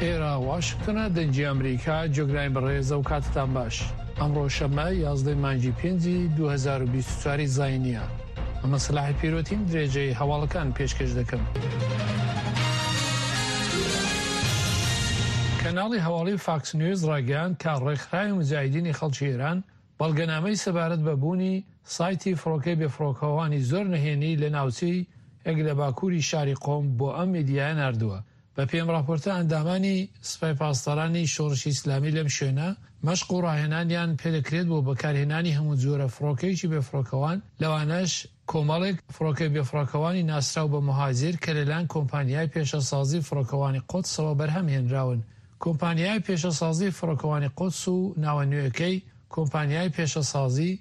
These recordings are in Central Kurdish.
ئێرە واشنگتنە دەنگی ئەمریکا جۆگرانی بەڕێز ئەو کاتتان باش ئەمڕۆ شەمە 11 مانگی پێنجی 2024 زینیە ئەمە سەلاحی پیرۆتیم درێژەی هەواڵەکان پێشکەش دەکەم. کەناڵی هەواڵی فاکس نیوز ڕاگەیاند کە ڕێکخراوی موجاهیدینی خەڵکی ئێران بەڵگەنامەی سەبارەت بە بوونی سایتی فڕۆکەی بێفڕۆکەوانی زۆر نهێنی لە ناوچەی ێک لە باکووری شاری قۆم بۆ ئەم میدیایە ناردووە. بەپێی ئەم ڕاپۆرتە ئەندامانی سپای پاسدارانی شۆڕشی ئیسلامی لەم شوێنە مەشق و ڕاهێنانیان پێدەکرێت بۆ بەکارهێنانی هەموو جۆرە فڕۆکەیەکی بێفڕۆکەوان لەوانەش کۆمەڵێک فڕۆکەی بێفڕۆکەوانی ناسراو بە موهاجر کە لەلایەن کۆمپانیای پێشەسازی فڕۆکەوانی قودسەوە بەرهەم هێنراون. کۆمپانیای پێشەسازی فڕۆکەوانی قودس و ناوە نوێکەی، کۆمپانیای پێشەسازی،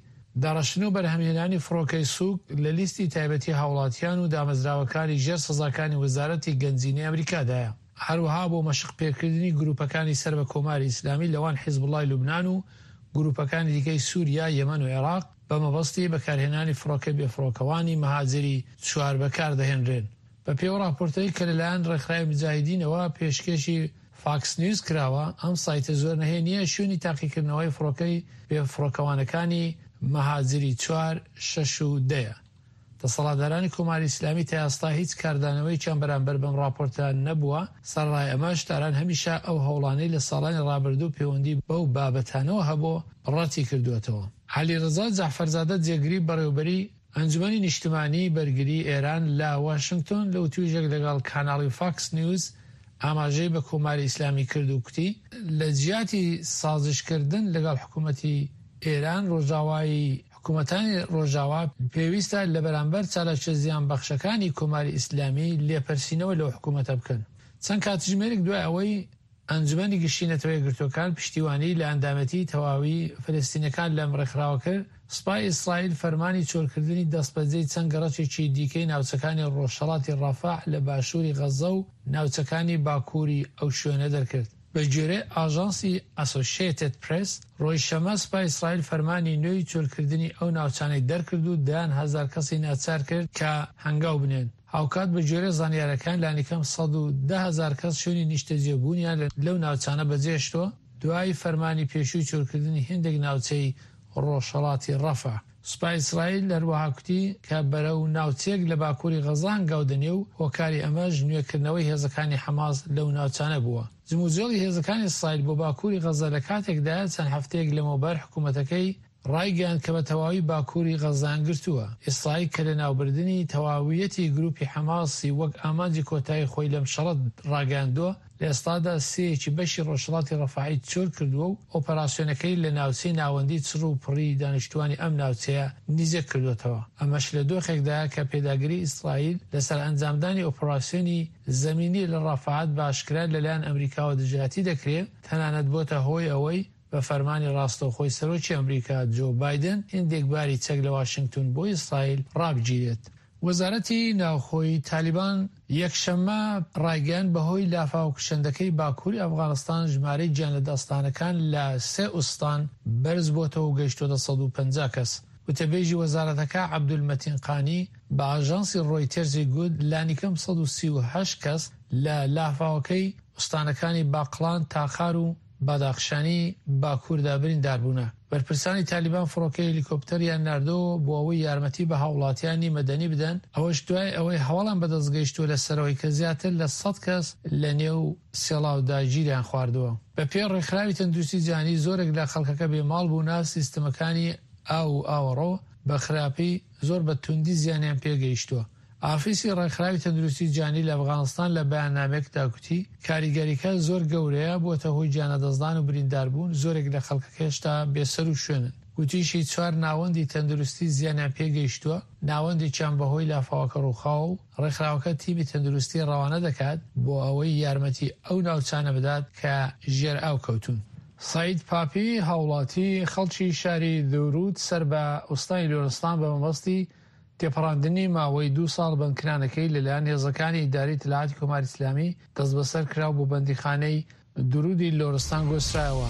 داڕشتن و بەرهەمهێنانی فڕۆکەی سووک لە لیستی تایبەتی هاوڵاتیان و دامەزراوەکانی ژێر سزاکانی وەزارەتی گەنجینەی ئەمریکادایە. هەروەها بۆ مەشق پێکردنی گروپەکانی سەر بە کۆماری ئیسلامی لەوان حیزبوڵای لوبنان و گروپەکانی دیکەی سوریا، یەمەن و عێراق بە مەبەستی بەکارهێنانی فڕۆکەی بێفڕۆکەوانی مەهاجری چوار بەکاردەهێنرێن. بەپێی ئەو ڕاپۆرتەی کە لەلایەن ڕێکخراوی موجاهیدینەوە پێشکێشی فاکس نیوز کراوە، ئەم سایتە زۆر نهێنییە شوێنی تاقیکردنەوەی فڕۆکەی بێفڕۆکەوانەکانی مەهاجری چوار، شەش و دە یە. دەسەڵاتدارانی کۆماری ئیسلامی تا ئێستا هیچ کاردانەوەیەکیان بەرامبەر بەم ڕاپۆرتە نەبووە، سەرەڕای ئەمەش تاران هەمیشە ئەو هەوڵانەی لە ساڵانی ڕابردوو پەیوەندی بەو بابەتانەوە هەبوو ڕەتی کردووەتەوە. عەلیڕەزا جەعفەرزادە جێگری بەڕێوەبەری ئەنجومەنی نیشتمانیی بەرگریی ئێران لە واشنگتۆن لە وتووێژێک لەگەڵ کاناڵی فاکس نیوز ئاماژەی بە کۆماری ئیسلامی کرد و کوتی، لە جیاتی سازش کردن لەگەڵ حکوومەتی ئێران، ڕۆژاوایی حکوومەتانی ڕۆژاوا پێویستە لە بەرامبەر چالاکیە زیانبەخشەکانی کۆماری ئیسلامی لێپرسینەوە لەو حکوومەتە بکەن. چەند کاتژمێرێک دوای ئەوەی ئەنجومەنی گشتی نەتەوە یەکگرتووەکان پشتیوانیی لە ئەندامێتیی تەواوی فەلەستینەکان لەم ڕێکخراوە کرد، سوپای ئیسرائیل فەرمانی چۆلکردنی دەستبەجێی چەند گەڕەکێکی دیکەی ناوچەکانی ڕۆژهەڵاتی ڕەفەح لە باشووری غەززە و ناوچەکانی باکووری ئەو شوێنە دەرکرد. بەگوێرەی ئاژانسی ئەسۆشێتێد پرێس، ڕۆژی شەممە سوپای ئیسرائیل فەرمانی نوێی چۆلکردنی ئەو ناوچانەی دەرکرد و دەیان هەزار کەسی ناچار کرد کە هەنگاو بنێن. هاوکات بەگوێرەی زانیارییەکان لانیکەم 110 هەزار کەس شوێنی نیشتەجێبوونیان لەو ناوچانە بەجێهێشتووە، دوای فەرمانی پێشووی چۆلکردنی هێندێک ناوچەی ڕۆژهەڵاتی ڕەفە. سوپای ئیسرائیل هەروەها کوتی کە بەرەو ناوچەیەک لە باکووری غەزە هەنگاو دەنێ و هۆکاری ئەمەش نوێکردنەوەی هێزەکانی حەماس لەو ناوچانە بووە. جموجۆڵی هێزەکانی ئیسرائیل بۆ باکووری غەزە لە کاتێکدایە چەند هەفتەیەک لەمەوبەر حکوومەتەکەی ڕایگەیاند کە بە تەواوی باکووری غەززەیان گرتووە. ئیسرائیل کە لەناوبردنی تەواویەتی گرووپی حەماسی وەک ئامانجی کۆتایی خۆی لەم شەڕە ڕاگەیاندووە، لە ئێستادا سێیەکی بەشی ڕۆژهەڵاتی ڕەفەحی چۆل کردووە و ئۆپەراسیۆنەکەی لە ناوچەی ناوەندی چڕ و پڕی دانیشتووانی ئەم ناوچەیە نیزیک کردووەتەوە. ئەمەش لە دۆخێکدایە کە پێداگری ئیسرائیل لەسەر ئەنجامدانی ئۆپەراسیۆنی زەمینی لە ڕەفەح بە ئاشکرا لەلایەن ئەمریکاوە دژایەتی دەکرێ، تەنانەت بۆتە هۆی ئەوەی بە فەرمانی ڕاستەوخۆی سەرۆکی ئەمریکا جۆ بایدن هێندێک باری چەک لە واشنگتون بۆ ئیسرائیل ڕابگیرێت. وەزارەتی ناوخۆی تالیبان یەکشەممە ڕایگەیاند بەهۆی لافاوە کوشندەکەی باکووری ئەفغانستان ژمارەی گیانلەدەستدانەکان لە سێ ئوستان بەرزبۆتەوە و گەیشتۆتە 150 کەس. وتەبێژی وەزارەتەکە عەبدولمەتین قانی بە ئاژانسی ڕۆیتێرزی گوت لانیکەم 138 کەس لە لافاوەکەی ئوستانەکانی باقڵان، تاخار و باداخشانی باکووردا برینداربوونە. بەرپرسانی تالیبان فڕۆکەی هێلیکۆپتەریان ناردۆوە بۆ ئەوەی یارمەتی بە هاوڵاتیانی مەدەنی بدەن، ئەوەش دوای ئەوەی هەواڵیان بەدەست گەیشتووە لەسەرەوەی کە زیاتر لە سەد کەس لە نێو سێڵاودا گیریان خواردووە. بەپێی ڕێکخراوی تەندروستی جیهانی زۆرێک لە خەڵکەکە بێ ماڵ بوونە، سیستمەکانی ئاو و ئاوەڕۆ بە خراپی زۆر بە توندی زیانیان پێگەیشتووە. ئافیسی ڕێکخراوی تەندروستی جیهانی لە ئەفغانستان لە بەیاننامەیەکدا گوتی، کاریگەریکە زۆر گەورەیە، بووەتە هۆی گیانلەدەستدان و برینداربوون، زۆرێک لە خەڵکەکە هێشتا بێسەروشوێنن. گوتیشی، چوار ناوەندی تەندروستی زیانیان پێگەیشتووە، ناوەندێکیان بەهۆی لافاوەکە ڕووخاوە و ڕێکخراوەکە تیمی تەندروستی ڕەوانە دەکات بۆ ئەوەی یارمەتی ئەو ناوچانە بدات کە ژێر ئاو کەوتوون. سەعید پاپی، هاوڵاتی خەڵکی شاری دورود سەر بە ئوستانی لۆرستان بە مەبەستی تێپەڕاندنی ماوەی دوو ساڵ بەندکرانەکەی لەلایەن هێزەکانی ئیدارەی ئیتلاعاتی کۆماری ئیسلامی دەستبەسەر کرا و بۆ بەندیخانەی دورودی لۆرستان گۆسترایەوە.